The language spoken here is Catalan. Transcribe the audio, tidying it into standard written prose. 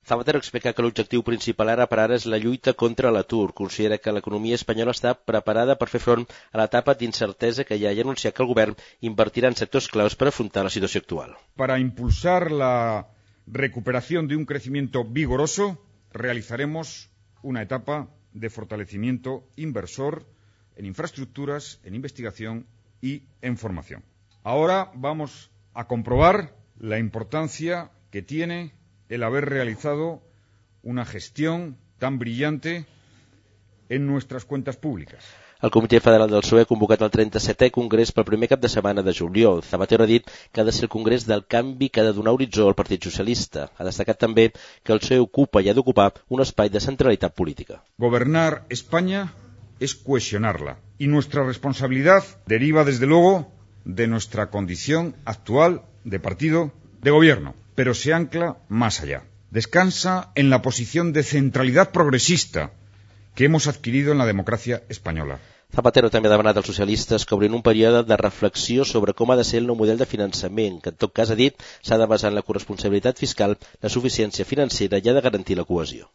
Zapatero explica que l'objectiu principal ara per ara és la lluita contra l'atur. Considera que l'economia espanyola està preparada per fer front a l'etapa d'incertesa que hi ha i anunciar que el govern invertirà en sectors claus per afrontar la situació actual. Para impulsar la recuperación de un crecimiento vigoroso, realizaremos una etapa de fortalecimiento inversor en infraestructuras, en investigación y en formación. Ahora vamos a comprobar la importancia que tiene el haber realizado una gestión tan brillante en nuestras cuentas públicas. El Comitè Federal del PSOE ha convocat el 37è Congrés pel primer cap de setmana de juliol. Zapatero ha dit que ha de ser el Congrés del canvi que ha de donar horitzó al Partit Socialista. Ha destacat també que el PSOE ocupa i ha d'ocupar un espai de centralitat política. Gobernar España es cohesionarla y nuestra responsabilidad deriva desde luego de nuestra condición actual de partido de gobierno, pero se ancla más allá. Descansa en la posición de centralidad progresista que hemos adquirido en la democracia española. Zapatero també ha demanat als socialistes que obrin un període de reflexió sobre com ha de ser el nou model de finançament, que en tot cas ha dit s'ha de basar en la corresponsabilitat fiscal, la suficiència financera i ha de garantir la cohesió.